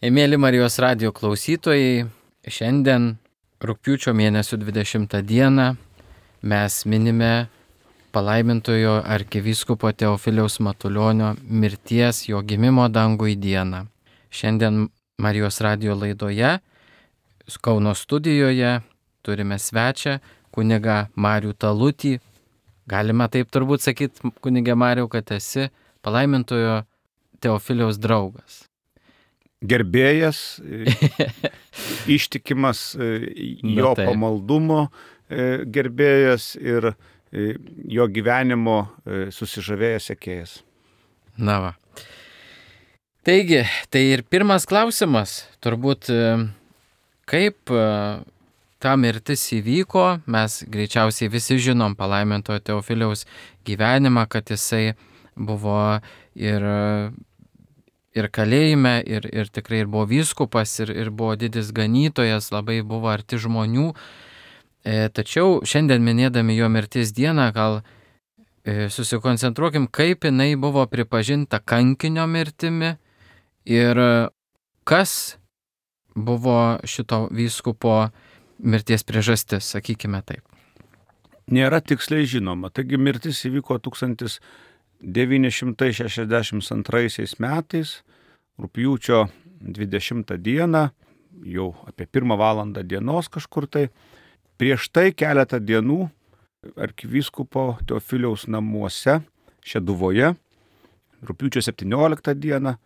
Mėly Marijos radijo klausytojai, šiandien rugpjūčio mėnesio 20 dieną mes minime palaimintojo arkivyskupo Teofiliaus Matulionio mirties, jo gimimo dangui dieną. Šiandien Marijos radijo laidoje, Kauno studijoje turime svečią kunigą Marių Talutį. Galima taip turbūt sakyti, kunigė Mariau, kad esi palaimintojo Teofiliaus draugas. Gerbėjas, ištikimas jo pamaldumo gerbėjas ir jo gyvenimo susižavėjęs sekėjas. Na va. Taigi, tai ir pirmas klausimas, turbūt kaip ta mirtis įvyko, mes greičiausiai visi žinom palaimintojo Teofiliaus gyvenimą, kad jisai buvo ir kalėjime, ir tikrai ir buvo vyskupas, ir buvo didis ganytojas, labai buvo arti žmonių. Tačiau šiandien minėdami jo mirties dieną, gal susikoncentruokim, kaip jinai buvo pripažinta kankinio mirtimi ir kas buvo šito vyskupo mirties priežastis, sakykime taip. Nėra tiksliai žinoma. Taigi mirtis įvyko 1962 metais, rugpjūčio 20 dieną, jau apie 1 valandą dienos kažkur tai. Prieš tai keletą dienų arkivyskupo Teofiliaus namuose Šeduvoje, rugpjūčio 17 dieną,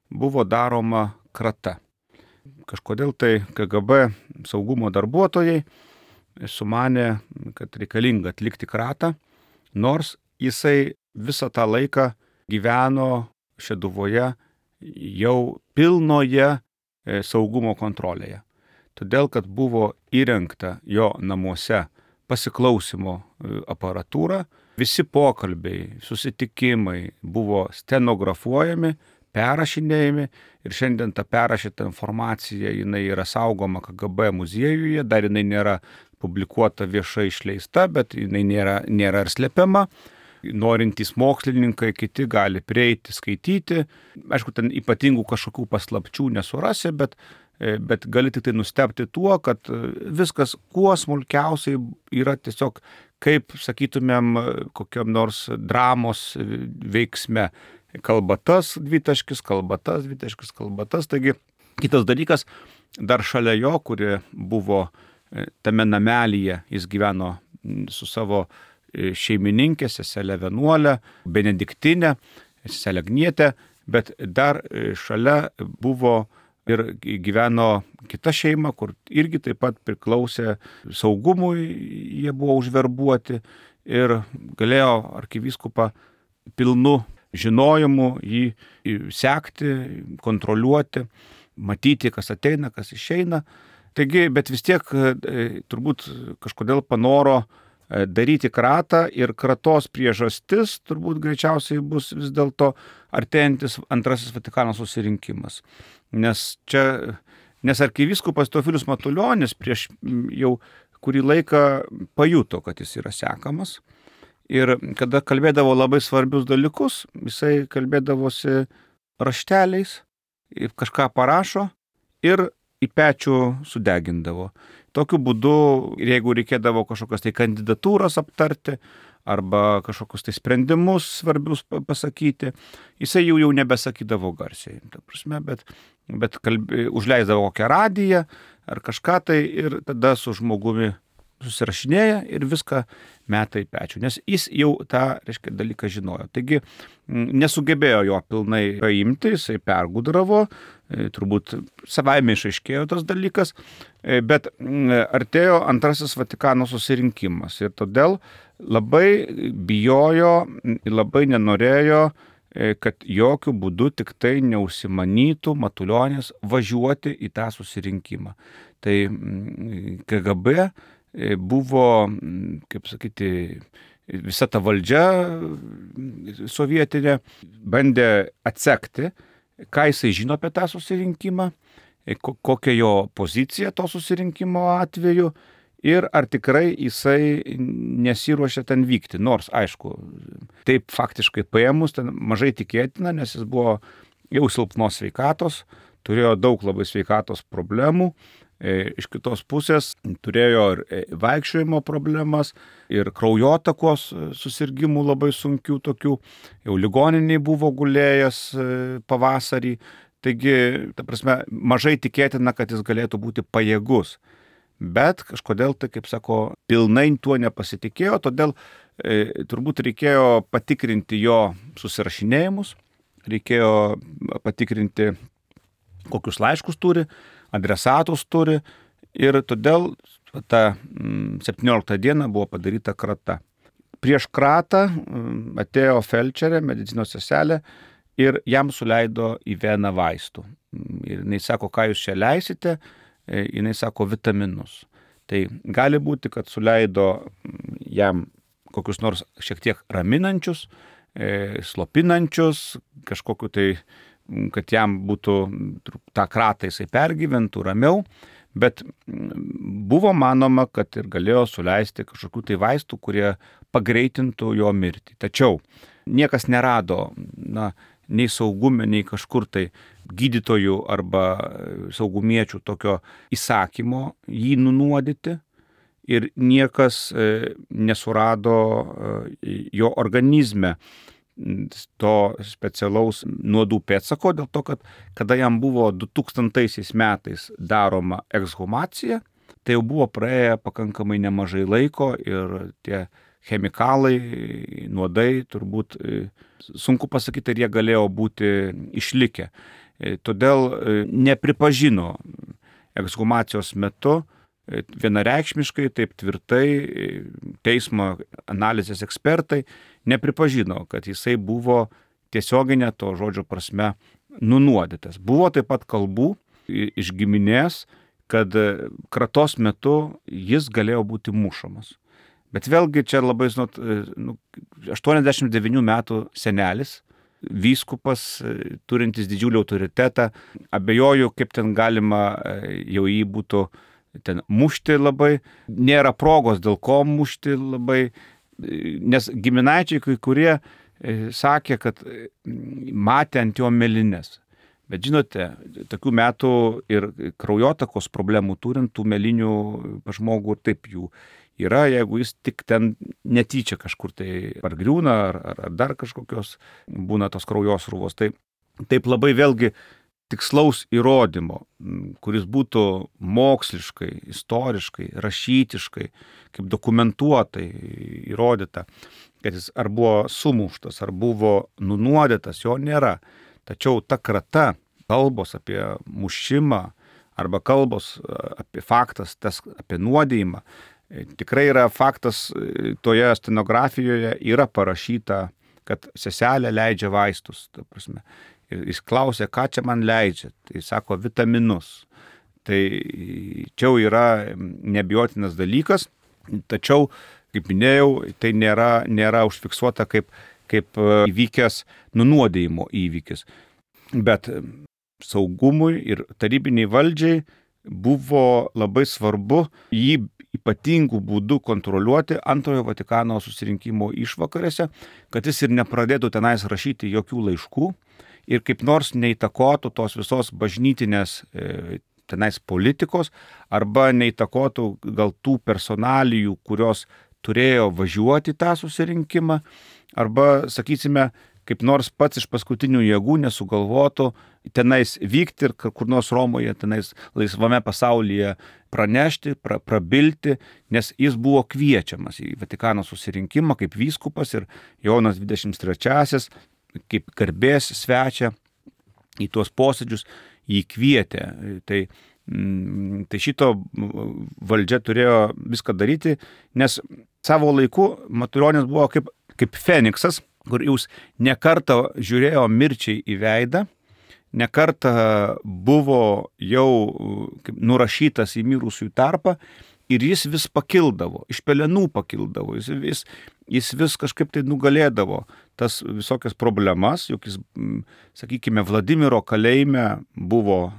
buvo daroma krata. Kažkodėl tai KGB saugumo darbuotojai sumanė, kad reikalinga atlikti kratą, nors jisai visą tą laiką gyveno Šeduvoje jau pilnoje saugumo kontrolėje. Todėl, kad buvo įrengta jo namuose pasiklausimo aparatūra, visi pokalbiai, susitikimai buvo stenografuojami, perrašinėjami ir šiandien ta perrašyta informacija jinai yra saugoma KGB muziejuje, dar jinai nėra publikuota viešai išleista, bet jinai nėra ir slepiama. Norintys mokslininkai, kiti gali prieiti, skaityti. Aišku, ten ypatingų kažkokių paslapčių nesurasi, bet gali tik tai nustebti tuo, kad viskas kuo smulkiausiai yra tiesiog, kaip sakytumėm, kokiam nors dramos veiksme. Kalba tas dvitaškis, kalba tas dvitaškis, kalba tas. Taigi, kitas dalykas, dar šalia jo, kuri buvo tame namelyje, jis gyveno su savo šeimininkė, seselė vienuolė, benediktinė, seselė Agnietė, bet dar šalia buvo ir gyveno kita šeima, kur irgi taip pat priklausė saugumui, jie buvo užverbuoti ir galėjo arkivyskupą pilnu žinojimu jį sekti, kontroliuoti, matyti, kas ateina, kas išeina. Taigi, bet vis tiek turbūt kažkodėl panoro daryti kratą ir kratos priežastis turbūt greičiausiai bus vis dėlto artėjantis Antrasis Vatikano susirinkimas. Nes arkivyskupas Teofilius Matulionis prieš jau kurį laiką pajuto, kad jis yra sekamas. Ir kada kalbėdavo labai svarbius dalykus, jisai kalbėdavosi rašteliais, kažką parašo ir į pečių sudegindavo. Tokiu būdu, jeigu reikėdavo kažkokios tai kandidatūros aptarti arba kažkokius tai sprendimus svarbius pasakyti, jisai jau nebesakydavo garsiai. Ta prasme, bet užleisdavo kokią radiją ar kažką tai ir tada su žmogumi susirašinėja ir viską meta į pečių, nes jis jau tą, dalyką žinojo. Taigi nesugebėjo jo pilnai paimti, jisai pergudravo, turbūt savaime išaiškėjo tas dalykas, bet artėjo Antrasis Vatikano susirinkimas ir todėl labai bijojo ir labai nenorėjo, kad jokių būdų tik tai neužsimanytų Matulionis važiuoti į tą susirinkimą. Tai KGB buvo, kaip sakyti, visa ta valdžia sovietinė bandė atsekti, ką jisai žino apie tą susirinkimą, kokia jo pozicija to susirinkimo atveju ir ar tikrai jisai nesiruošia ten vykti. Nors, aišku, taip faktiškai paėmus ten mažai tikėtina, nes jis buvo jau silpnos sveikatos, turėjo daug labai sveikatos problemų. Iš kitos pusės turėjo ir vaikščiojimo problemas, ir kraujotakos susirgymų labai sunkių tokių. Jau ligoniniai buvo gulėjęs pavasarį. Taigi, ta prasme, mažai tikėtina, kad jis galėtų būti pajėgus. Bet kažkodėl tai, kaip sako, pilnai tuo nepasitikėjo, todėl turbūt reikėjo patikrinti jo susirašinėjimus, reikėjo patikrinti, kokius laiškus turi, adresatus turi, ir todėl ta 17 diena buvo padaryta krata. Prieš kratą atėjo felčerė, medicinos seselė, ir jam suleido į veną vaistų. Ir jinai sako, ką jūs čia leisite, jinai sako, vitaminus. Tai gali būti, kad suleido jam kokius nors šiek tiek raminančius, slopinančius, kažkokiu tai, kad jam būtų tą kratą jisai pergyventų ramiau, bet buvo manoma, kad ir galėjo suleisti kažkokių tai vaistų, kurie pagreitintų jo mirtį. Tačiau niekas nerado, nei saugume, nei kažkur tai gydytojų arba saugumiečių tokio įsakymo jį nunuodyti, ir niekas nesurado jo organizme to specialaus nuodų pėdsako, dėl to, kad kada jam buvo 2000 metais daroma ekshumacija, tai jau buvo praėję pakankamai nemažai laiko ir tie chemikalai, nuodai, turbūt sunku pasakyti, ar jie galėjo būti išlikę. Todėl nepripažino ekshumacijos metu vienareikšmiškai, taip tvirtai teismo analizės ekspertai nepripažino, kad jisai buvo tiesioginė to žodžio prasme nunuodytas. Buvo taip pat kalbų iš giminės, kad kratos metu jis galėjo būti mušamas. Bet vėlgi čia labai, 89 metų senelis, vyskupas, turintis didžiulį autoritetą, abejoju, kaip ten galima jau jį būtų ten mušti labai, nėra progos dėl ko mušti labai, nes giminaičiai kai kurie sakė, kad matė ant jo mėlynes. Bet žinote, tokių metų ir kraujotakos problemų turint tų mėlynių pas žmogų taip jų yra, jeigu jis tik ten netyčia kažkur tai pargriūna ar dar kažkokios būna tos kraujosrūvos. Tai taip labai vėlgi tikslaus įrodymo, kuris būtų moksliškai, istoriškai, rašytiškai, kaip dokumentuotai įrodyta, kad jis ar buvo sumuštas, ar buvo nunuodytas, jo nėra. Tačiau ta krata, kalbos apie mušimą arba kalbos apie faktas, apie nuodijimą, tikrai yra faktas, toje stenografijoje yra parašyta, kad seselė leidžia vaistus, ta prasme. Ir jis klausė, ką čia man leidžia, tai sako vitaminus. Tai čia yra neabejotinas dalykas, tačiau, kaip minėjau, tai nėra užfiksuota kaip įvykęs nunuodijimo įvykis. Bet saugumui ir tarybiniai valdžiai buvo labai svarbu jį ypatingų būdų kontroliuoti Antrojo Vatikano susirinkimo išvakarėse, kad jis ir nepradėtų tenais rašyti jokių laiškų ir kaip nors neįtakotų tos visos bažnytinės tenais politikos arba neįtakotų gal tų personalijų, kurios turėjo važiuoti tą susirinkimą, arba, sakysime, kaip nors pats iš paskutinių jėgų nesugalvotų tenais vykti ir kur nors Romoje, tenais laisvame pasaulyje pranešti, prabilti, nes jis buvo kviečiamas į Vatikano susirinkimą kaip vyskupas ir Jonas 23 kaip garbės svečia į tuos posėdžius jį kvietė. Tai šito valdžia turėjo viską daryti, nes savo laiku Matulionis buvo kaip Feniksas, kur jūs nekartą žiūrėjo mirčiai į veidą, nekartą buvo jau nurašytas į mirusiųjų tarpą ir jis vis pakildavo, iš pelenų pakildavo, jis vis kažkaip tai nugalėdavo tas visokias problemas, juk jis, sakykime, Vladimiro kalėjime buvo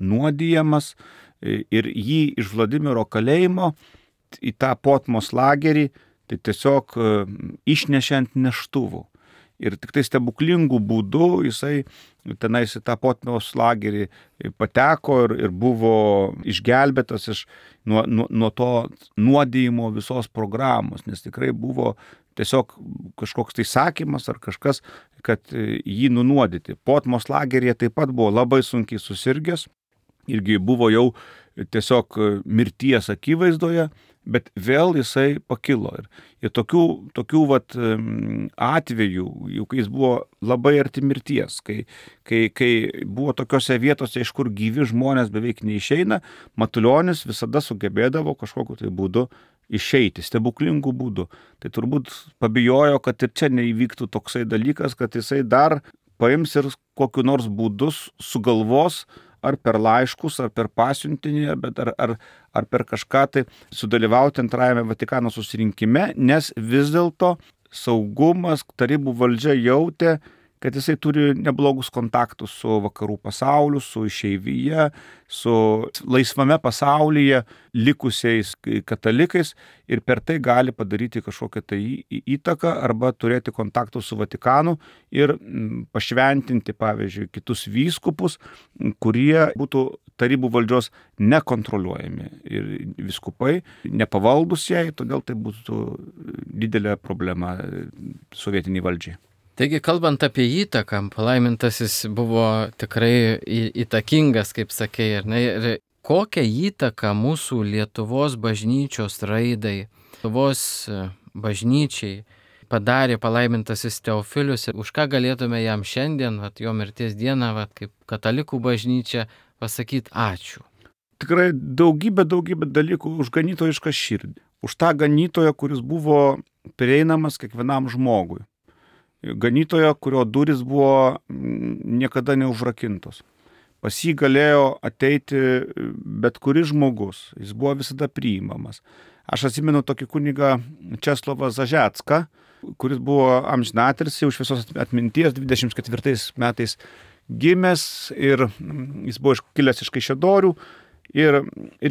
nuodijamas ir jį iš Vladimiro kalėjimo į tą Potmos lagerį tai tiesiog išnešė ant neštuvų. ir tik tai stebuklingų būdų jisai tenais į tą Potmos lagerį pateko ir buvo išgelbėtas nuo to nuodijimo visos programos, nes tikrai buvo tiesiog kažkoks tai sakymas ar kažkas, kad jį nunuodyti. Potmos lageryje taip pat buvo labai sunkiai susirgęs, irgi buvo jau tiesiog mirties akivaizdoje, bet vėl jisai pakilo. Ir tokių atvejų, jau kai jis buvo labai arti mirties, kai buvo tokiose vietose, iš kur gyvi žmonės beveik neišeina, Matulionis visada sugebėdavo kažkokiu tai būdu išeiti, stebuklingų būdų. Tai turbūt pabijojo, kad ir čia neįvyktų toksai dalykas, kad jisai dar paims ir kokiu nors būdus sugalvos, ar per laiškus, ar per pasiuntinį, bet ar per kažką tai sudalyvauti antrajame Vatikano susirinkime, nes vis dėlto saugumas, tarybų valdžia jautė, kad jisai turi neblogus kontaktus su vakarų pasauliu, su išeivija, su laisvame pasaulyje likusiais katalikais ir per tai gali padaryti kažkokią tai įtaką arba turėti kontaktų su Vatikanu ir pašventinti, pavyzdžiui, kitus vyskupus, kurie būtų tarybų valdžios nekontroliuojami ir vyskupai nepavaldus jai, todėl tai būtų didelė problema sovietiniai valdžiai. Taigi, kalbant apie įtaką, palaimintasis buvo tikrai įtakingas, kaip sakei, ar ne? Ir kokią įtaką mūsų Lietuvos bažnyčios raidai, Lietuvos bažnyčiai padarė palaimintasis Teofilius ir už ką galėtume jam šiandien, jo mirties dieną, kaip katalikų bažnyčia, pasakyti ačiū? Tikrai daugybė dalykų už ganytojišką širdį. Už tą ganytoją, kuris buvo prieinamas kiekvienam žmogui. Ganytojo, kurio durys buvo niekada neužrakintos. Pas jį galėjo ateiti bet kuris žmogus, jis buvo visada priimamas. Aš atsimenu tokį kunigą Česlovą Zažecką, kuris buvo amžinatilsį už visos atminties 24 metais gimęs ir jis buvo kilęs iš Kaišiadorių ir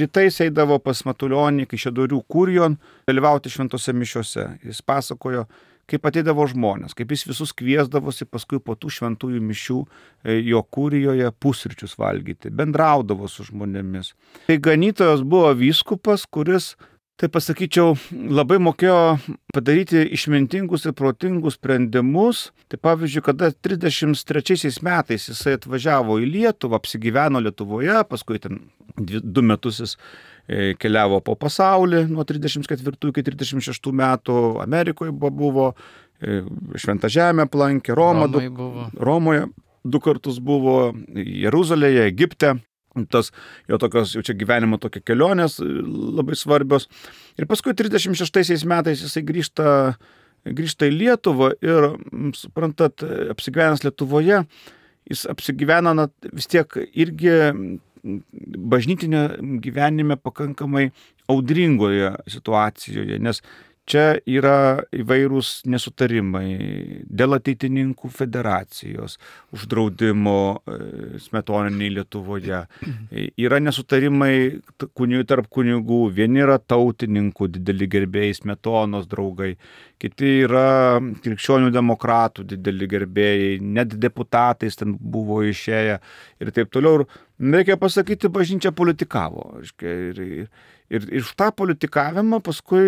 rytais eidavo pas Matulionį Kaišiadorių kurijon dalyvauti šventose mišiose. Jis pasakojo, kaip ateidavo žmonės, kaip jis visus kviesdavosi paskui po tų šventųjų mišių jo kurijoje pusryčius valgyti, bendraudavo su žmonėmis. Tai ganytojas buvo vyskupas, kuris, tai pasakyčiau, labai mokėjo padaryti išmintingus ir protingus sprendimus. Tai pavyzdžiui, kada 33 metais jisai atvažiavo į Lietuvą, apsigyveno Lietuvoje, paskui ten 2 metus jis keliavo po pasaulį nuo 34 iki 36 metų, Amerikoje buvo, Šventą Žemę aplankė, Romoje 2 kartus buvo, Jeruzalėje, Egipte. Tas jo tokios, jau čia gyvenimo tokia kelionės labai svarbios. Ir paskui 36 metais jisai grįžta į Lietuvą ir, suprantat, apsigyvenęs Lietuvoje, jis apsigyvena vis tiek irgi bažnytinio gyvenime pakankamai audringoje situacijoje, nes čia yra įvairūs nesutarimai dėl ateitininkų federacijos, uždraudimo smetoniniai Lietuvoje. Yra nesutarimai tarp kunigų, vieni yra tautininkų dideli gerbėjai, Smetonos draugai, kiti yra krikščionių demokratų dideli gerbėjai, net deputatais ten buvo išėję ir taip toliau. Reikia pasakyti, bažnyčia politikavo. Ir iš tą politikavimą paskui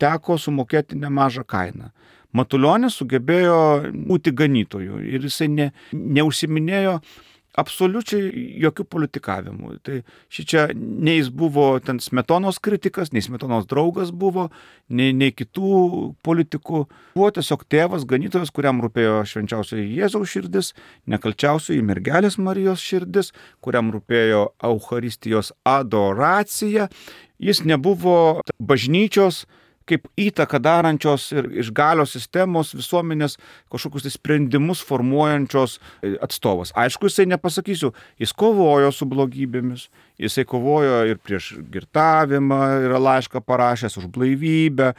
teko sumokėti nemažą kainą. Matulionis sugebėjo būti ganytoju ir jisai neužsiminėjo absoliučiai jokių politikavimų. Tai šičia nei jis buvo ten Smetonos kritikas, nei Smetonos draugas buvo, nei kitų politikų. Buvo tiesiog tėvas, ganytojas, kuriam rūpėjo švenčiausioji Jėzaus širdis, nekalčiausioji mergelės Marijos širdis, kuriam rūpėjo Eucharistijos adoracija. Jis nebuvo bažnyčios kaip įtaką darančios ir iš galios sistemos visuomenės kažkokius sprendimus formuojančios atstovas. Aišku, jisai nepasakysiu, jis kovojo su blogybėmis, Jisai kovojo ir prieš girtavimą, yra laišką parašęs, už blaivybę,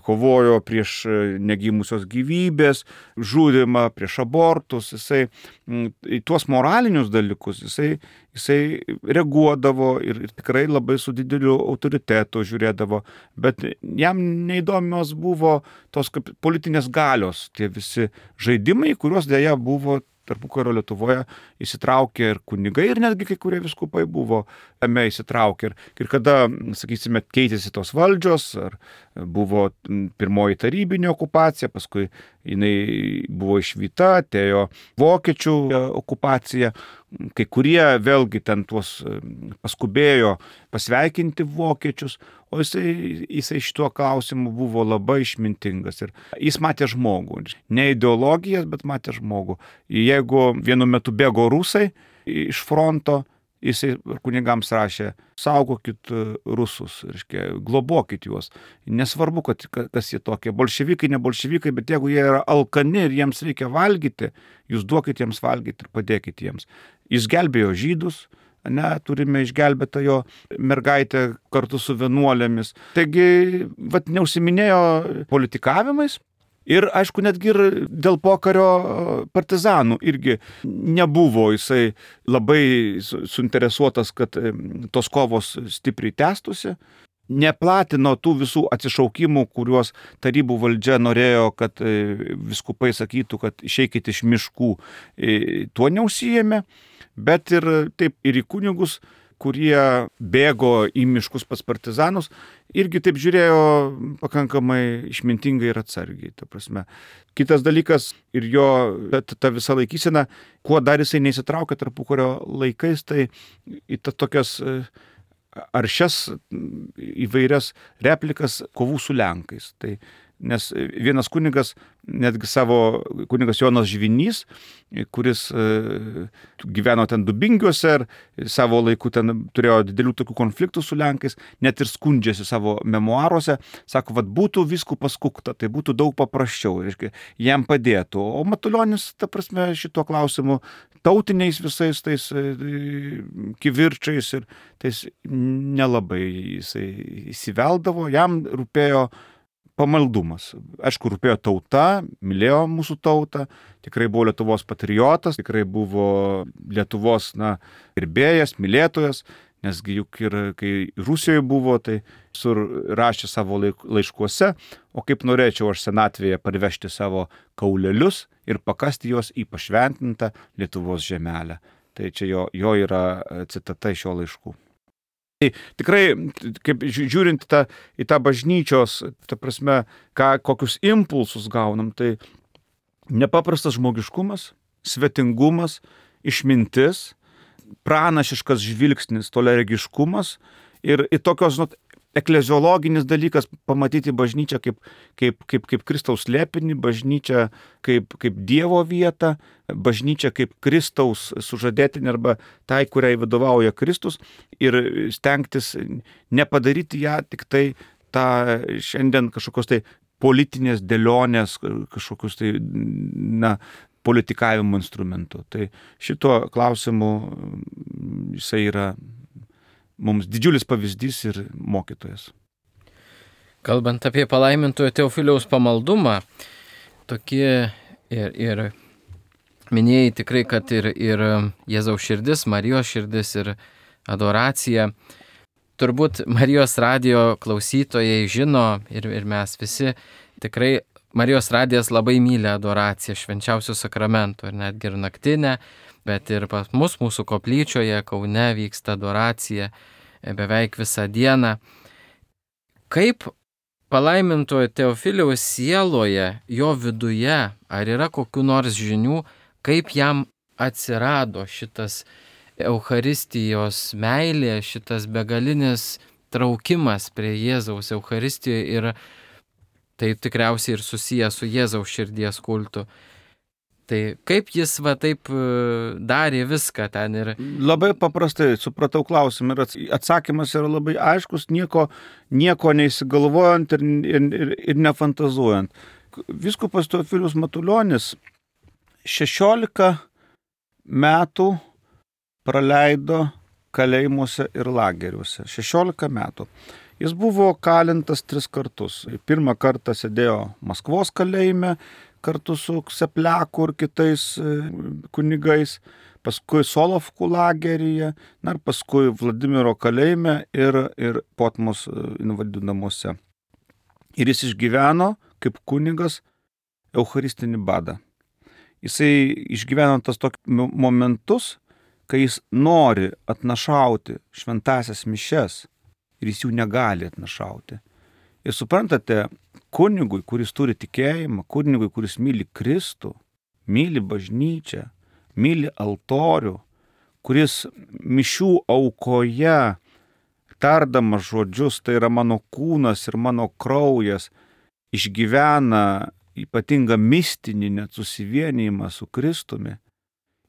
kovojo prieš negimusios gyvybės, žudimą, prieš abortus. Jisai į tuos moralinius dalykus jisai reaguodavo ir tikrai labai su dideliu autoritetu žiūrėdavo, bet jam neįdomios buvo tos politinės galios, tie visi žaidimai, kuriuos dėja buvo tarpukario Lietuvoje įsitraukė ir kunigai, ir netgi kai kurie vyskupai buvo tame įsitraukė. Ir kada, sakysime, keitėsi tos valdžios, ar buvo pirmoji tarybinė okupacija, paskui jinai buvo išvyta, atėjo vokiečių okupacija, kai kurie vėlgi ten tuos paskubėjo pasveikinti vokiečius, o jisai šituo klausimu buvo labai išmintingas ir jis matė žmogų, ne ideologijas, bet matė žmogų. Jeigu vienu metu bėgo rusai iš fronto, jisai kunigams rašė, saugokit rusus, reiškia, globokit juos. Nesvarbu, kas jie tokie, bolševikai, ne bolševikai, bet jeigu jie yra alkani ir jiems reikia valgyti, jūs duokit jiems valgyti ir padėkit jiems. Jis gelbėjo žydus, turime išgelbėtą jo mergaitę kartu su vienuolėmis. Taigi, neužsiminėjo politikavimais. Ir, aišku, netgi ir dėl pokario partizanų irgi nebuvo jisai labai suinteresuotas, kad tos kovos stipriai tęstųsi. Neplatino tų visų atsišaukimų, kuriuos tarybų valdžia norėjo, kad vyskupai sakytų, kad išeikit iš miškų. Tuo neužsijėmė, bet ir taip ir į kunigus, kurie bėgo į miškus pas partizanus, irgi taip žiūrėjo pakankamai išmintingai ir atsargiai. Ta prasme. Kitas dalykas ir jo ta visa laikysena, kuo dar jisai neįsitraukė tarpukario laikais, tai į tokias aršias įvairias replikas kovų su Lenkais. Tai nes vienas kunigas, netgi kunigas Jonas Žvinys, kuris gyveno ten Dubingiuose ir savo laiku ten turėjo didelių tokių konfliktų su Lenkais, net ir skundžiasi savo memuaruose, sako, būtų vyskupas Kukta, tai būtų daug paprasčiau, reiškia, jam padėtų. O Matulionis, ta prasme, šituo klausimu tautiniais visais tais kivirčiais ir tais nelabai jisai įsiveldavo, jam rūpėjo pamaldumas. Aišku, rūpėjo tauta, mylėjo mūsų tautą, tikrai buvo Lietuvos patriotas, tikrai buvo Lietuvos gerbėjas, mylėtojas, nesgi juk ir kai Rusijoje buvo, tai rašė savo laiškuose, o kaip norėčiau aš senatvėje parvežti savo kaulelius ir pakasti juos į pašventintą Lietuvos žemelę. Tai čia jo yra citata iš šio laiškų. Tai tikrai, kaip žiūrint į tą bažnyčios, ta prasme, kokius impulsus gaunam, tai nepaprastas žmogiškumas, svetingumas, išmintis, pranašiškas žvilgsnis, toleregiškumas ir tokios, ekleziologinis dalykas pamatyti bažnyčią kaip Kristaus slėpinį, bažnyčią kaip Dievo vietą, bažnyčią kaip Kristaus sužadėtinė arba tai, kuriai vadovauja Kristus ir stengtis nepadaryti ją tik tai tą šiandien kažkokios tai politinės dėlionės, kažkokius tai, politikavimo instrumentų. Tai šito klausimu jisai yra mums didžiulis pavyzdys ir mokytojas. Kalbant apie palaimintojo Teofiliaus pamaldumą, tokie ir minėjai tikrai, kad ir Jėzaus širdis, Marijos širdis ir adoracija. Turbūt Marijos radijo klausytojai žino ir mes visi tikrai Marijos radijas labai myli adoraciją švenčiausių sakramentų ir netgi ir naktinę, bet ir pas mus, mūsų koplyčioje, Kaune vyksta adoracija beveik visą dieną. Kaip palaimintojo Teofiliaus sieloje, jo viduje, ar yra kokių nors žinių, kaip jam atsirado šitas Eucharistijos meilė, šitas begalinis traukimas prie Jėzaus Eucharistijoje ir tai tikriausiai ir susijęs su Jėzaus širdies kultu. Tai kaip jis taip darė viską ten ir... Labai paprastai supratau klausimą ir atsakymas yra labai aiškus, nieko neįsigalvojant ir nefantazuojant. Vyskupas Teofilius Matulionis 16 metų praleido kalėjimuose ir lageriuose. 16 metų. Jis buvo kalintas 3 kartus. Pirmą kartą sėdėjo Maskvos kalėjime kartu su Ksepliaku ir kitais kunigais, paskui Solovkų lageryje, ir paskui Vladimiro kalėjime ir Potmos invalidų namuose. Ir jis išgyveno kaip kunigas eucharistinį badą. Jisai išgyveno tas tokius momentus, kai jis nori atnašauti šventąsias mišias ir jis jų negali atnašauti. Ir suprantate, kunigui, kuris turi tikėjimą, kunigui, kuris myli Kristų, myli bažnyčią, myli altorių, kuris mišių aukoje, tardamas žodžius, tai yra mano kūnas ir mano kraujas, išgyvena ypatingą mistinį net susivienijimą su Kristumi.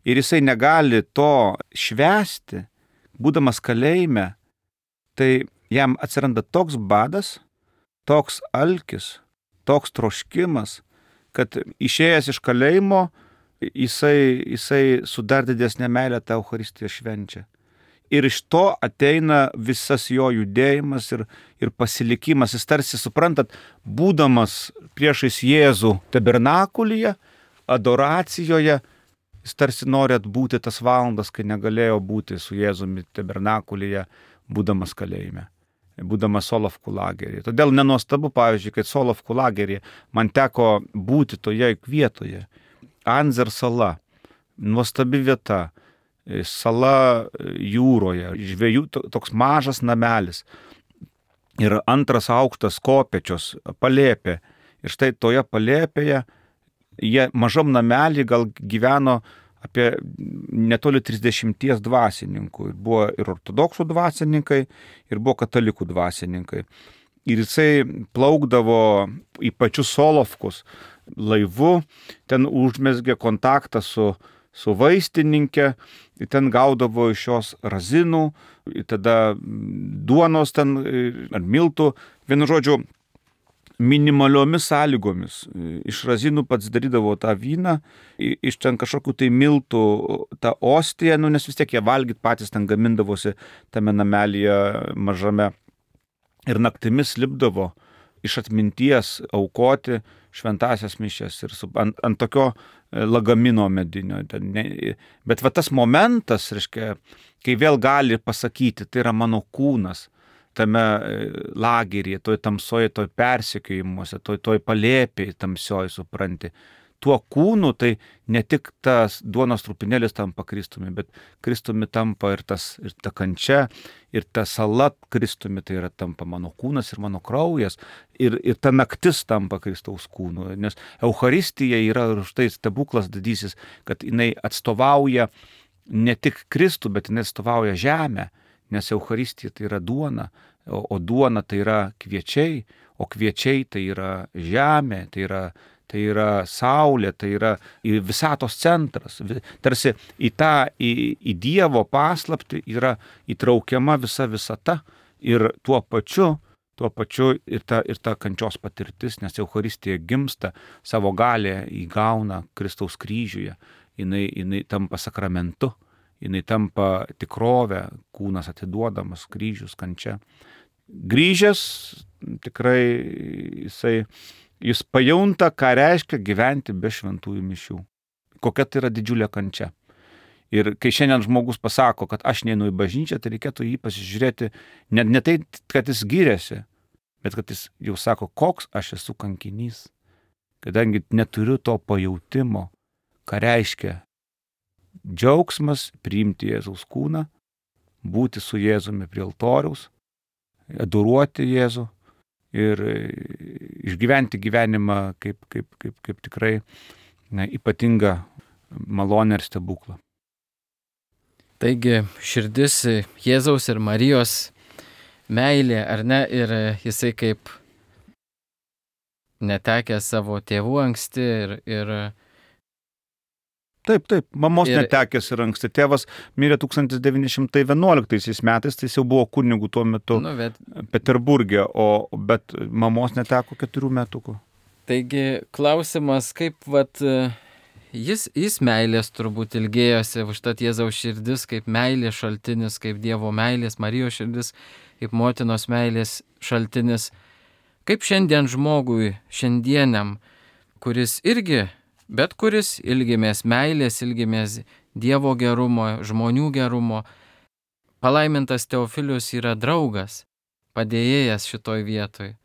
Ir jisai negali to švęsti, būdamas kalėjime, tai jam atsiranda toks badas, toks alkis, toks troškimas, kad išėjęs iš kalėjimo, jisai su dar didesnė meilė tą Eucharistiją švenčia. Ir iš to ateina visas jo judėjimas ir pasilikimas. Jis tarsi, suprantat, būdamas priešais Jėzų tabernakulyje, adoracijoje, jis tarsi nori atbūti tas valandas, kai negalėjo būti su Jėzumi tabernakulyje, būdamas kalėjime, būdamas Solovkų lageryje. Todėl nenuostabu, pavyzdžiui, kad Solovkų lageryje man teko būti toje vietoje. Anzer sala, nuostabi vieta, sala jūroje, žvejų toks mažas namelis ir 2 aukštas kopečios, palėpė. Ir štai toje palėpėje jie mažam namelį gal gyveno apie netoli 30 dvasininkų. Buvo ir ortodoksų dvasininkai, ir buvo katalikų dvasininkai. Ir jisai plaukdavo į pačius Solovkus laivu, ten užmezgė kontaktą su vaistininkė, ten gaudavo iš jos razinų, tada duonos ten ar miltų, vienu žodžiu, minimaliomis sąlygomis. Iš razinų pats darydavo tą vyną, iš ten kažkokių tai miltų tą ostiją, nes vis tiek jie valgyt patys ten gamindavosi tame namelyje mažame. Ir naktimis lipdavo iš atminties aukoti šventąsias mišias ir ant tokio lagamino medinio. Bet va tas momentas, reiškia, kai vėl gali pasakyti, tai yra mano kūnas tame lageryje, toj tamsoje, toj persekiojimuose, toj palėpėje tamsioje, supranti. Tuo kūnu tai ne tik tas duonos trupinėlis tampa Kristumi, bet Kristumi tampa ir ta kančia, ir ta sala Kristumi, tai yra tampa mano kūnas ir mano kraujas, ir ta naktis tampa Kristaus kūnu. Nes Eucharistija yra štai stebuklas didysis, kad jinai atstovauja ne tik Kristų, bet jinai atstovauja žemę, nes Eucharistija tai yra duona, o duona tai yra kviečiai, o kviečiai tai yra žemė, tai yra saulė, tai yra visatos centras. Tarsi į Dievo paslaptį yra įtraukiama visa visata ir tuo pačiu ir ta kančios patirtis, nes Eucharistija gimsta, savo galę įgauna Kristaus kryžiuje, jinai tampa sakramentu, jinai tampa tikrovė, kūnas atiduodamas, kryžius, kančia. Grįžęs tikrai jis pajunta, ką reiškia gyventi be šventųjų mišių. Kokia tai yra didžiulė kančia. Ir kai šiandien žmogus pasako, kad aš neinu į bažnyčią, tai reikėtų jį pasižiūrėti, ne tai, kad jis giriasi, bet kad jis jau sako, koks aš esu kankinys, kadangi neturiu to pajautimo, ką reiškia džiaugsmas priimti Jėzaus kūną, būti su Jėzumi prie altoriaus, adoruoti Jėzų ir išgyventi gyvenimą kaip tikrai ypatingą malonę ir stebuklą. Taigi širdis Jėzaus ir Marijos meilė, ar ne, ir jisai kaip netekęs savo tėvų anksti ir Taip, mamos netekęs ir anksti. Tėvas mirė 1911 metais, tai jis jau buvo kunigu tuo metu Peterburge, bet mamos neteko 4 metukų. Taigi klausimas, kaip jis meilės turbūt ilgėjosi, užtat Jėzaus širdis kaip meilės šaltinis, kaip Dievo meilės, Marijos širdis kaip motinos meilės šaltinis. Kaip šiandien žmogui, šiandieniam, kuris ilgimės meilės, ilgimės Dievo gerumo, žmonių gerumo. Palaimintas Teofilius yra draugas, padėjėjas šitoj vietoj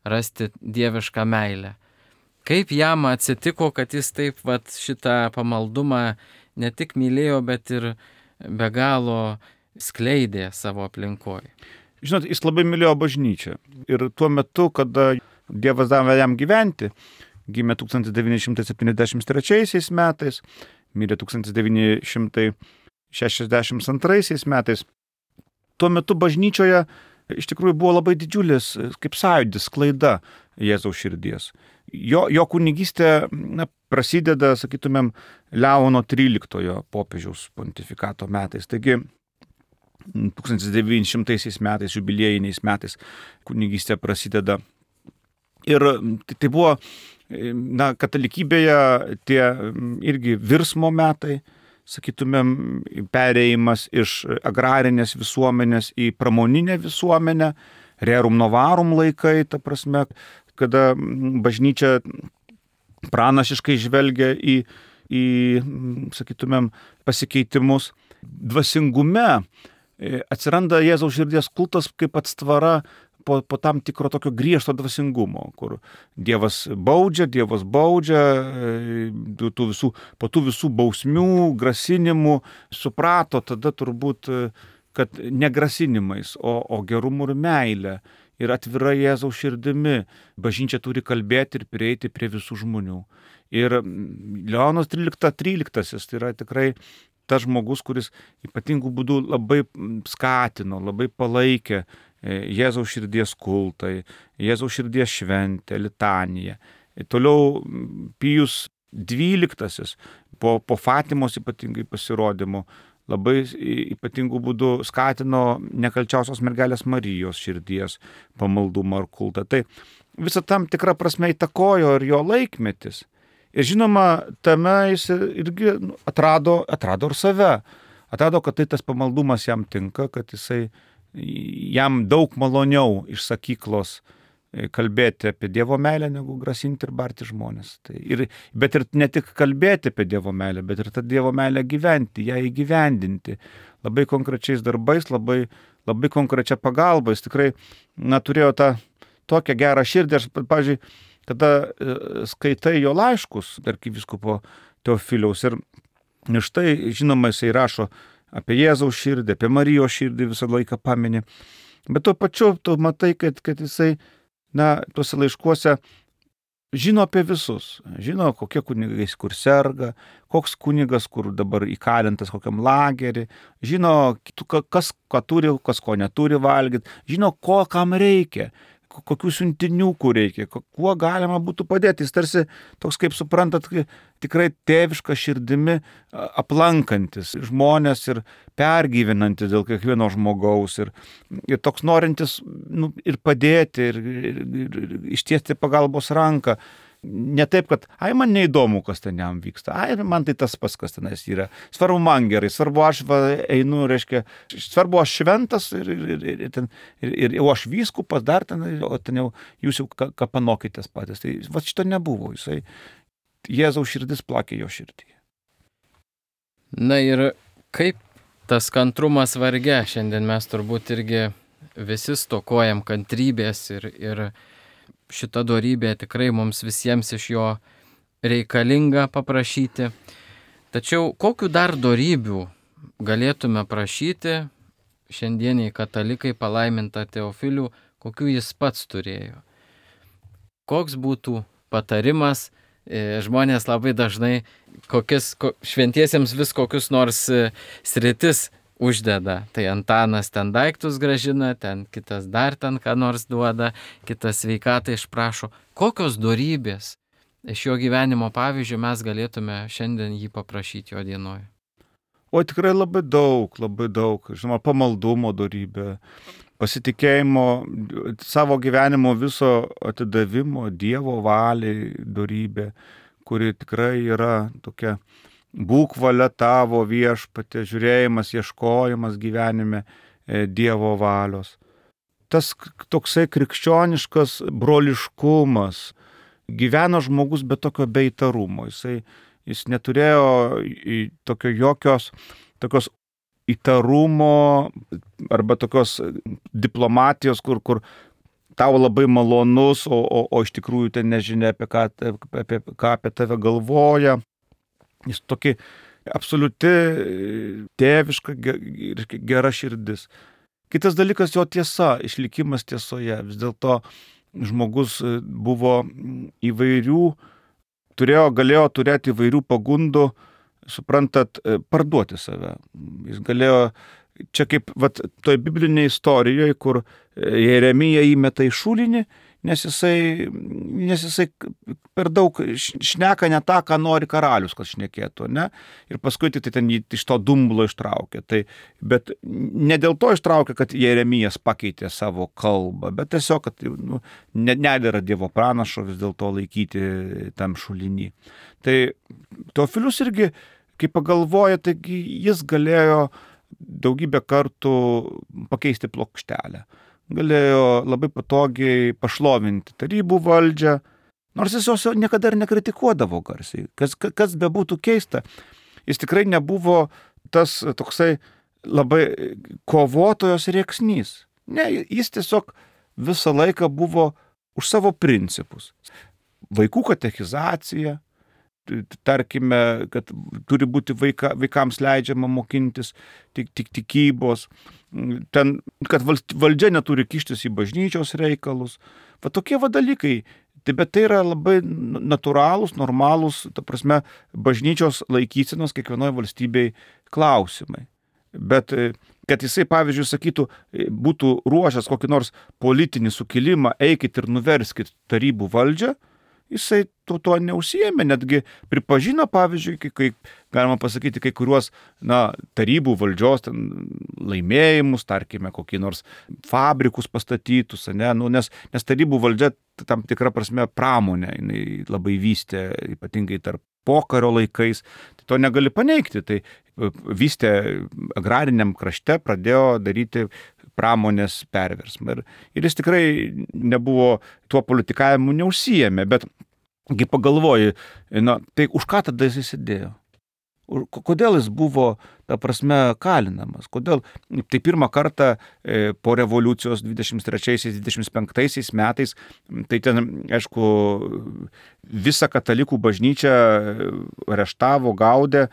rasti dievišką meilę. Kaip jam atsitiko, kad jis taip šitą pamaldumą ne tik mylėjo, bet ir be galo skleidė savo aplinkoje. Žinot, jis labai mylėjo bažnyčią. Ir tuo metu, kada Dievas davė jam gyventi, gimė 1973 metais, mirė 1962 metais, tuo metu bažnyčioje iš tikrųjų buvo labai didžiulis, kaip sąjūdis, sklaida Jėzaus širdies. Jo kunigystė prasideda, sakytumėm, Leono XIII popiežiaus pontifikato metais. Taigi 1900 metais, jubiliejiniais metais kunigystė prasideda. Ir tai buvo, katalikybėje tie irgi virsmo metai, sakytumėm, perėjimas iš agrarinės visuomenės į pramoninę visuomenę, rerum novarum laikai, ta prasme, kada bažnyčia pranašiškai žvelgia į sakytumėm, pasikeitimus. Dvasingume atsiranda Jėzaus širdies kultas kaip atstvara po tam tikro tokio griežto dvasingumo, kur Dievas baudžia, po tų visų bausmių, grasinimų suprato tada turbūt, kad ne grasinimais, o gerumu ir meilė ir atvira Jėzaus širdimi bažnyčia turi kalbėti ir prieiti prie visų žmonių. Ir Leonas XIII tai yra tikrai tas žmogus, kuris ypatingų būdų labai skatino, labai palaikė Jėzaus širdies kultai, Jėzaus širdies šventę, litaniją. Toliau Pijus XII po Fatimos ypatingai pasirodymų labai ypatingų būdų skatino nekalčiausios mergelės Marijos širdies pamaldumą ar kultą. Tai visą tam tikrą prasme įtakojo ir jo laikmetis. Ir žinoma, tame jis irgi atrado ir save. Atrado, kad tai tas pamaldumas jam tinka, kad jam daug maloniau iš sakyklos kalbėti apie Dievo meilę, negu grasinti ir barti žmonės. Bet ir ne tik kalbėti apie Dievo meilę, bet ir tą Dievo meilę gyventi, ją įgyvendinti. Labai konkrečiais darbais, labai, labai konkrečia pagalba. Jis tikrai turėjo tą tokią gerą širdį. Aš, pavyzdžiui, kada skaitai jo laiškus arkivyskupo Teofiliaus ir štai, žinoma, jisai rašo apie Jėzaus širdį, apie Marijos širdį visą laiką pamini. Bet tuo pačiu tu matai, kad jisai, tuose laiškuose žino apie visus. Žino, kokie kunigai kur serga, koks kunigas kur dabar įkalintas kokiam lagerį. Žino, kas ką turi, kas ko neturi valgyti. Žino, ko kam reikia. Kokių siuntinių kur reikia, kuo galima būtų padėti. Jis tarsi toks, kaip suprantat, tikrai tėviška širdimi aplankantis žmonės ir pergyvenantis dėl kiekvieno žmogaus ir toks norintis ir padėti ir ištiesti pagalbos ranką. Ne taip, kad man neįdomu, kas ten jam vyksta, man tai tas pats, kas tenais yra. Svarbu man gerai, svarbu aš einu, reiškia, svarbu aš šventas ir jau aš vyskupas dar ten, o ten jau jūs jau ką panokitės patys. Tai šito nebuvo, Jėzaus širdis plakė jo širdyje. Na ir kaip tas kantrumas varge, šiandien mes turbūt irgi visi stokojam kantrybės ir šita dorybė tikrai mums visiems iš jo reikalinga paprašyti. Tačiau kokiu dar dorybių galėtume prašyti šiandieniai katalikai palaimintą Teofilių, kokiu jis pats turėjo? Koks būtų patarimas? Žmonės labai dažnai šventiesiems vis kokius nors sritis uždeda. Tai Antanas ten daiktus gražina, ten kitas dar ten ką nors duoda, kitas sveikatą išprašo. Kokios dorybės iš jo gyvenimo pavyzdžių mes galėtume šiandien jį paprašyti jo dienoje? O tikrai labai daug. Žinoma, pamaldumo dorybė, pasitikėjimo, savo gyvenimo viso atidavimo Dievo valiai dorybė, kuri tikrai yra tokia būk valia tavo viešpatie, žiūrėjimas, ieškojimas gyvenime Dievo valios. Tas toksai krikščioniškas broliškumas, gyveno žmogus be tokio beįtarumo, jis neturėjo tokios įtarumo arba tokios diplomatijos, kur tau labai malonus, o iš tikrųjų ten nežinia apie ką apie tave galvoja. Jis tokia absoliuti tėviška ir gera širdis. Kitas dalykas jo tiesa, išlikimas tiesoje. Vis dėlto žmogus buvo galėjo turėti įvairių pagundų, suprantat, parduoti save. Jis galėjo, čia kaip toj biblinėje istorijoje, kur Jeremija įmeta į šulinį, nes jisai per daug šneka ne tą, ką nori karalius, kad šnekėtų, ne? Ir paskui tai ten jį iš to dumblo ištraukė. Bet ne dėl to ištraukė, kad Jeremijas pakeitė savo kalbą, bet tiesiog, kad nedėra Dievo pranašo vis dėlto laikyti tam šulinį. Tai Teofilius irgi, kai pagalvoja, taigi jis galėjo daugybę kartų pakeisti plokštelę. Galėjo labai patogiai pašlovinti tarybų valdžią, nors jis jos niekada ir nekritikuodavo garsiai. Kas bebūtų keista, jis tikrai nebuvo tas toksai labai kovotojos rėksnys. Ne, jis tiesiog visą laiką buvo už savo principus. Vaikų katechizacija, tarkime, kad turi būti vaikams leidžiama mokintis tik tikybos, kad valdžia neturi kištis į bažnyčios reikalus. Tokie dalykai. Bet tai yra labai natūralūs, normalūs, ta prasme, bažnyčios laikysenos kiekvienoje valstybėje klausimai. Bet kad jisai, pavyzdžiui, sakytų, būtų ruošęs kokį nors politinį sukilimą, eikit ir nuverskit tarybų valdžią, jisai tuo neužsiėmė, netgi pripažino, pavyzdžiui, kai galima pasakyti, kai kuriuos tarybų valdžios laimėjimus, tarkime, kokį nors fabrikus pastatytus, nes tarybų valdžia tam tikrą prasme pramonę jinai labai vystė, ypatingai tarp pokario laikais, tai to negali paneigti, tai vystė agrariniam krašte, pradėjo daryti pramonės perversmą. Ir jis tikrai nebuvo tuo politikavimu neužsiėmė, bet kai pagalvoji, tai už ką tada jis sėdėjo? Kodėl jis buvo, ta prasme, kalinamas? Kodėl? Tai pirmą kartą po revoliucijos 23-25 metais, tai ten, aišku, visą katalikų bažnyčią areštavo, gaudė,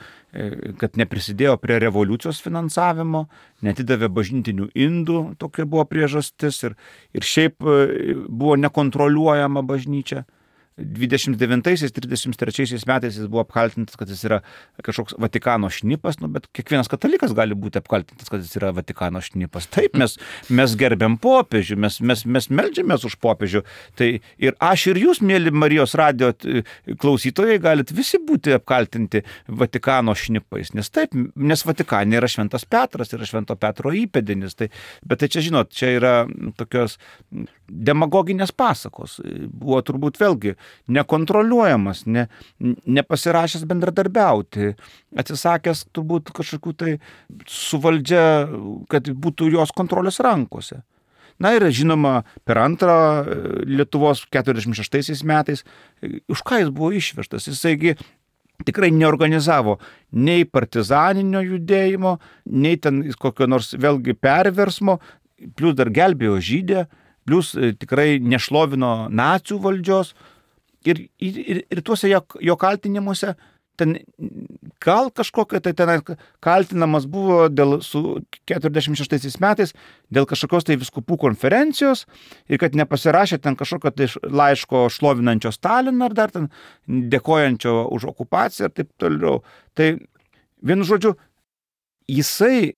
kad neprisidėjo prie revoliucijos finansavimo, netidavė bažnytinių indų, tokia buvo priežastis, ir šiaip buvo nekontroliuojama bažnyčia. 29-33 metais jis buvo apkaltintas, kad jis yra kažkoks Vatikano šnipas, bet kiekvienas katalikas gali būti apkaltintas, kad jis yra Vatikano šnipas. Taip, mes gerbiam popiežių, mes meldžiamės už popiežių. Tai ir aš ir jūs, mėly Marijos radijo klausytojai, galit visi būti apkaltinti Vatikano šnipais, nes Vatikane yra Šventas Petras, yra Švento Petro įpėdinis. Bet tai čia, žinot, čia yra tokios demagoginės pasakos. Buvo turbūt vėlgi nekontroliuojamas, nepasirašęs bendradarbiauti, atsisakęs turbūt kažkokių tai su valdžia, kad būtų jos kontrolės rankose. Ir žinoma, per antrą Lietuvos 46 metais, už ką jis buvo išvežtas, jisaigi tikrai neorganizavo nei partizaninio judėjimo, nei ten kokio nors vėlgi perversmo, plius dar gelbėjo žydę, plius tikrai nešlovino nacių valdžios. Ir tuose jo kaltinimuose, ten gal kažkokia, tai ten kaltinamas buvo su 46 metais dėl kažkokios tai vyskupų konferencijos ir kad nepasirašė ten kažkokio tai laiško šlovinančio Staliną ar dar ten dėkojančio už okupaciją ir taip toliau. Tai vienu žodžiu, jisai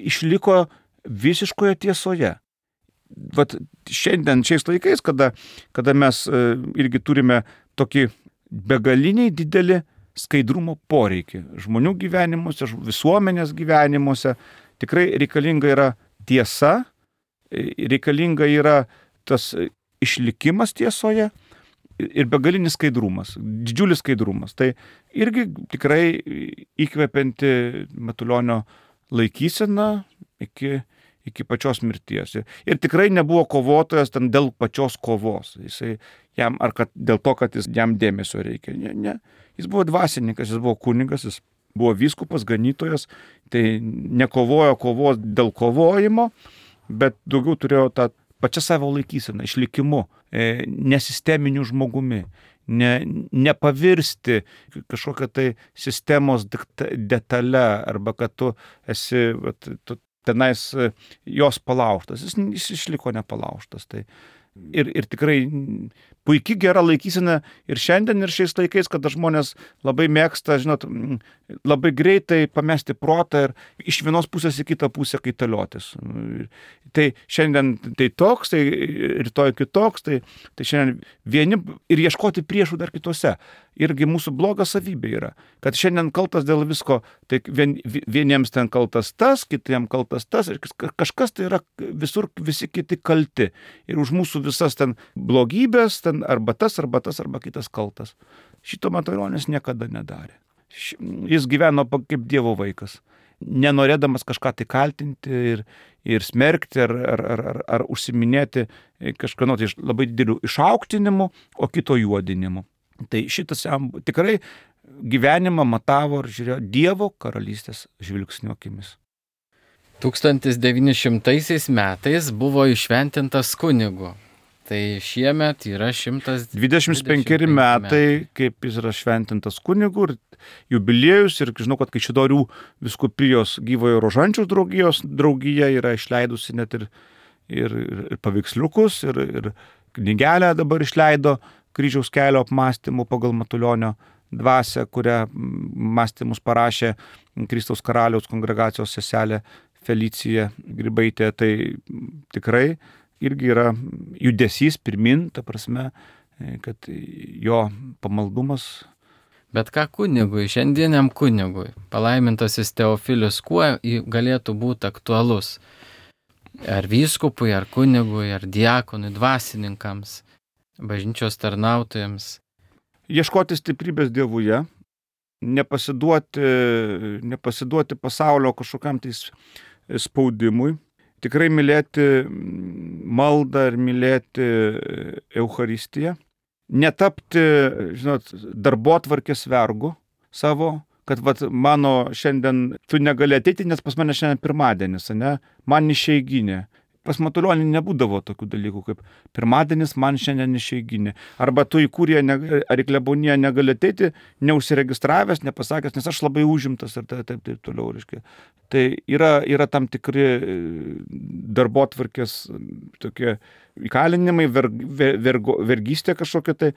išliko visiškoje tiesoje. Šiais laikais, kada mes irgi turime tokį begaliniai didelį skaidrumo poreikį žmonių gyvenimuose, visuomenės gyvenimuose, tikrai reikalinga yra tiesa, reikalinga yra tas išlikimas tiesoje, ir begalinis skaidrumas, didžiulis skaidrumas. Tai irgi tikrai įkvepianti Matulionio laikysena iki pačios mirties. Ir tikrai nebuvo kovotojas ten dėl pačios kovos. Jisai jam, ar kad dėl to, kad jam dėmesio reikia. Ne. Jis buvo dvasininkas, jis buvo kunigas, jis buvo vyskupas, ganytojas, tai nekovojo kovos dėl kovojimo, bet daugiau turėjo tą pačią savo laikyseną, išlikimu, nesisteminiu žmogumi, nepavirsti kažkokią tai sistemos detalę, arba kad tu esi tenais jos palaužtas. Jis išliko nepalaužtas. Tai ir tikrai puikiai gera laikysena ir šiandien, ir šiais laikais, kada žmonės labai mėgsta, žinot, labai greitai pamesti protą ir iš vienos pusės į kitą pusę kaitaliotis. Tai šiandien tai toks, tai rytoj kitoks, tai šiandien vieni ir ieškoti priešų dar kitose. Irgi mūsų bloga savybė yra, kad šiandien kaltas dėl visko, tai vieniems ten kaltas tas, kitiems kaltas tas, ir kažkas tai yra visur, visi kiti kalti. Ir už mūsų visas ten blogybės, ten arba tas, arba kitas kaltas. Šito Matulionis niekada nedarė. Jis gyveno kaip Dievo vaikas, nenorėdamas kažką tai kaltinti ir smerkti, ar užsiminėti kažkano tai labai didelių išaukštinimu, o kito juodinimu. Tai šitas jam tikrai gyvenimą matavo ir žiūrėjo Dievo karalystės žvilgsnio akimis. 1900 metais buvo iššventintas kunigu. Tai šiemet yra 125 metai, kaip jis yra šventintas kunigu, ir jubiliejus, ir žinau, kad Kaišiadorių vyskupijos Gyvojo Rožančiaus draugija yra išleidusi net ir paveiksliukus, ir knygelę dabar išleido Kryžiaus kelio apmąstymų pagal Matulionio dvasią, kurią mąstymus parašė Kristaus karaliaus kongregacijos seselė Felicija Grybaitė. Tai tikrai irgi yra judesys pirmin, ta prasme, kad jo pamaldumas. Bet ką kunigui, šiandieniam kunigui, palaimintasis Teofilius, kuo galėtų būti aktualus? Ar vyskupui, ar kunigui, ar diakonui, dvasininkams, bažnyčios tarnautojams? Ieškoti stiprybės Dievuje, nepasiduoti pasaulio kažkokiam tai spaudimui, tikrai mylėti maldą ir mylėti Eucharistiją, netapti, žinot, darbotvarkės vergu savo, kad mano šiandien tu negali ateiti, nes pas mane šiandien pirmadienis, ne? Man išeiginė. Pas Matulionį nebūdavo tokių dalykų, kaip pirmadienis man šiandien išeiginė. Arba tu į kuriją ar į kleboniją negali ateiti, neužsiregistravęs, nepasakęs, nes aš labai užimtas ir taip toliau. Reiškia. Tai yra tam tikri darbotvarkės tokie įkalinimai, vergystė kažkokia tai,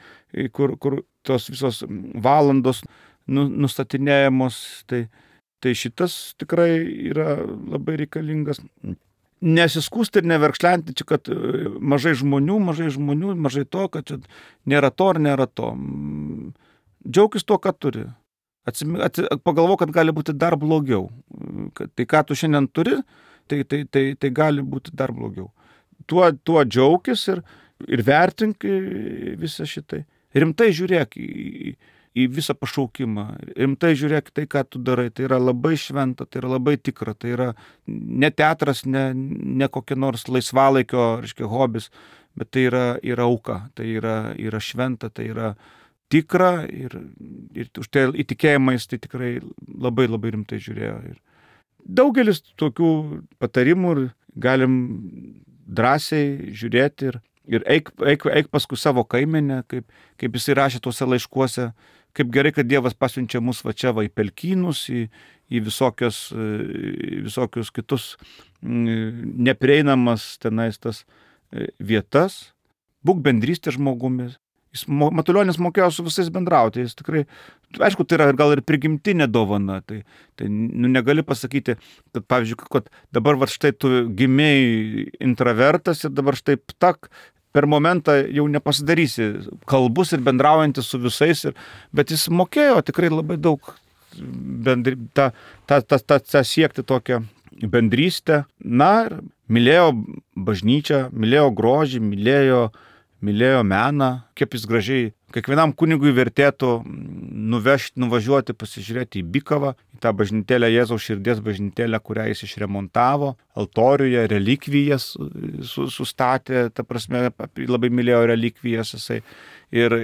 kur tos visos valandos nustatinėjamos. Tai šitas tikrai yra labai reikalingas. Nesiskūsti ir neverkšlenti, čia, kad mažai žmonių, mažai to, kad čia nėra to ar nėra to. Džiaukis tuo, ką turi. Pagalvo, kad gali būti dar blogiau. Tai, ką tu šiandien turi, tai gali būti dar blogiau. Tuo džiaukis ir vertink visą šitai. Rimtai žiūrėk į visą pašaukimą. Rimtai žiūrėk tai, ką tu darai. Tai yra labai šventa, tai yra labai tikra. Tai yra ne teatras, ne kokia nors laisvalaikio, reiškia, hobis, bet tai yra auka. Tai yra šventa, tai yra tikra ir už tai įtikėjimais tai tikrai labai labai rimtai žiūrėjo. Ir daugelis tokių patarimų galim drąsiai žiūrėti ir eik paskui savo kaimenę, kaip jisai rašė tuose laiškuose, kaip gerai, kad Dievas pasiunčia mus va čia į pelkynus, į visokius kitus neprieinamas tenais tas vietas. Būk bendrystė žmogumis. Matulionis mokėjo su visais bendrauti. Jis tikrai, aišku, tai yra gal ir prigimtinė dovana. Tai negali pasakyti, kad, pavyzdžiui, kad dabar štai tu gimėjai intravertas ir dabar štai per momentą jau nepasidarysi kalbus ir bendraujantis su visais, bet jis mokėjo tikrai labai daug siekti tokią bendrystę. Na, ir mylėjo bažnyčią, mylėjo grožį, mylėjo meną, kaip jis gražiai. Kiekvienam kunigui vertėtų nuvažiuoti, pasižiūrėti į Bikavą, į tą bažnytėlę, Jėzaus širdies bažnytėlę, kurią jis išremontavo, altoriuje relikvijas sustatė, ta prasme, labai mylėjo relikvijas jisai ir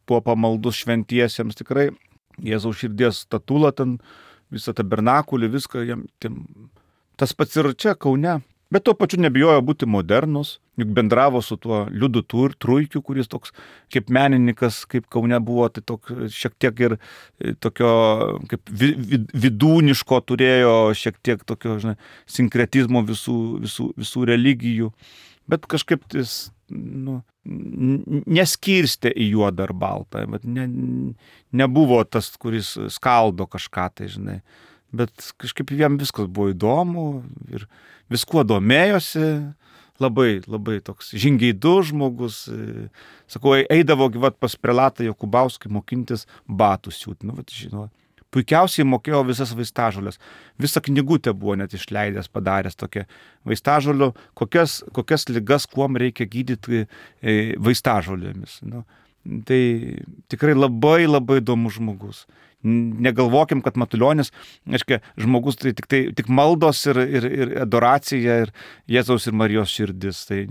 buvo pamaldus šventiesiems tikrai. Jėzaus širdies statulą, ten visą tabernakulį, viską jam. Tas pats ir čia, Kaune. Bet tuo pačiu nebijojo būti modernus, juk bendravo su tuo Liudu Truikiu, kuris toks kaip menininkas, kaip Kaune buvo, tai toks šiek tiek ir tokio kaip vidūniško turėjo, šiek tiek tokio, sinkretizmo visų religijų. Bet kažkaip jis neskirstė į juodą ar baltą, bet nebuvo tas, kuris skaldo kažką, tai bet kažkaip jam viskas buvo įdomu ir viskuo domėjosi, labai, labai toks žingeidus žmogus, sakau, eidavo pas prelatą Jokubauskį mokintis batų siūti, puikiausiai mokėjo visas vaistažolės. Visą knygutę buvo net išleidęs, padaręs tokią vaistažolių, kokias ligas, kuom reikia gydyti vaistažolėmis. Tai tikrai labai, labai įdomus žmogus. Negalvokim, kad Matulionis, žmogus tai tik maldos ir adoracija ir Jėzaus ir Marijos širdis. Tai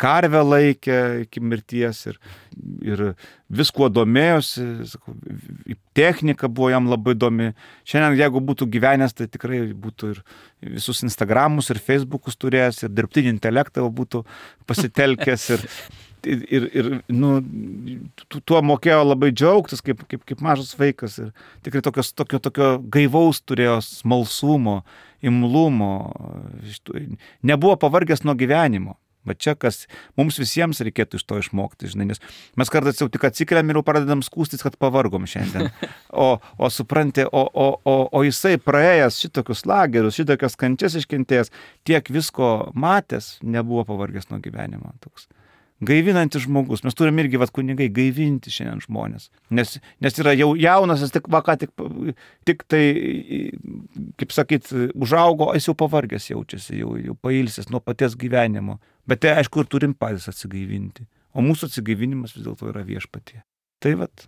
karvę laikė iki mirties ir viskuo domėjosi, technika buvo jam labai įdomi. Šiandien, jeigu būtų gyvenęs, tai tikrai būtų ir visus Instagramus ir Facebookus turėjęs, ir dirbtinį intelektą būtų pasitelkęs ir tuo mokėjo labai džiaugtis, kaip mažas vaikas. Ir tikrai tokio gaivaus turėjo smalsumo, imlumo, nebuvo pavargęs nuo gyvenimo. Bet čia, kas mums visiems reikėtų iš to išmokti, nes mes kartais jau tik atsikeliam ir jau pradedam skūstis, kad pavargom šiandien. O supranti, o jisai praėjęs šitokius lagerius, šitokias kančias iškentėjęs, tiek visko matęs, nebuvo pavargęs nuo gyvenimo. Toks gaivinantis žmogus. Mes turim irgi, kunigai, gaivinti šiandien žmonės. Nes yra jau jaunas, jis tik tai, kaip sakyt, užaugo, jis jau pavargęs jaučiasi, jau pailsęs nuo paties gyvenimo. Bet tai, aišku, ir turim patys atsigaivinti. O mūsų atsigaivinimas vis dėlto yra Viešpatie. Tai vat.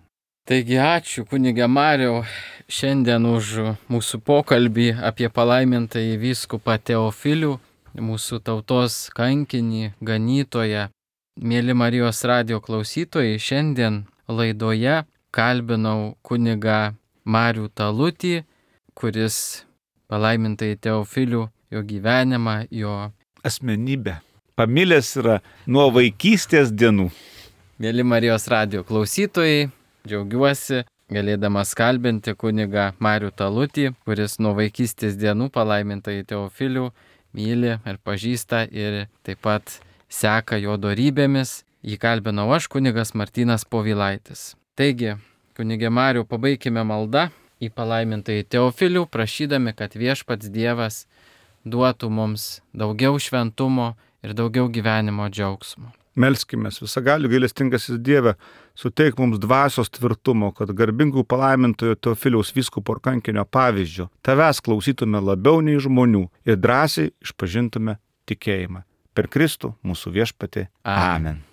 Taigi ačiū, kunige Mariau, šiandien už mūsų pokalbį apie palaimintąjį vyskupą Teofilių, mūsų tautos kankinį, ganytoją. Mėly Marijos radijo klausytojai, šiandien laidoje kalbinau kunigą Marių Talutį, kuris palaimintąjį Teofilių, jo gyvenimą, jo asmenybę pamilęs yra nuo vaikystės dienų. Mėly Marijos radijo klausytojai, džiaugiuosi galėdamas kalbinti kunigą Marių Talutį, kuris nuo vaikystės dienų palaimintąjį Teofilių myli ir pažįsta ir taip pat seka jo dorybėmis. Jį kalbinau aš, kunigas Martynas Povilaitis. Taigi, kunige Marių, pabaikime maldą į palaimintąjį Teofilių, prašydami, kad Viešpats Dievas duotų mums daugiau šventumo ir daugiau gyvenimo džiaugsmo. Melskimės, visagalių gailestingasis Dieve, suteik mums dvasios tvirtumo, kad garbingų palaimintojo Teofiliaus vyskupo ir kankinio pavyzdžio tavęs klausytume labiau nei žmonių ir drąsiai išpažintume tikėjimą. Per Kristų mūsų Viešpatį. Amen.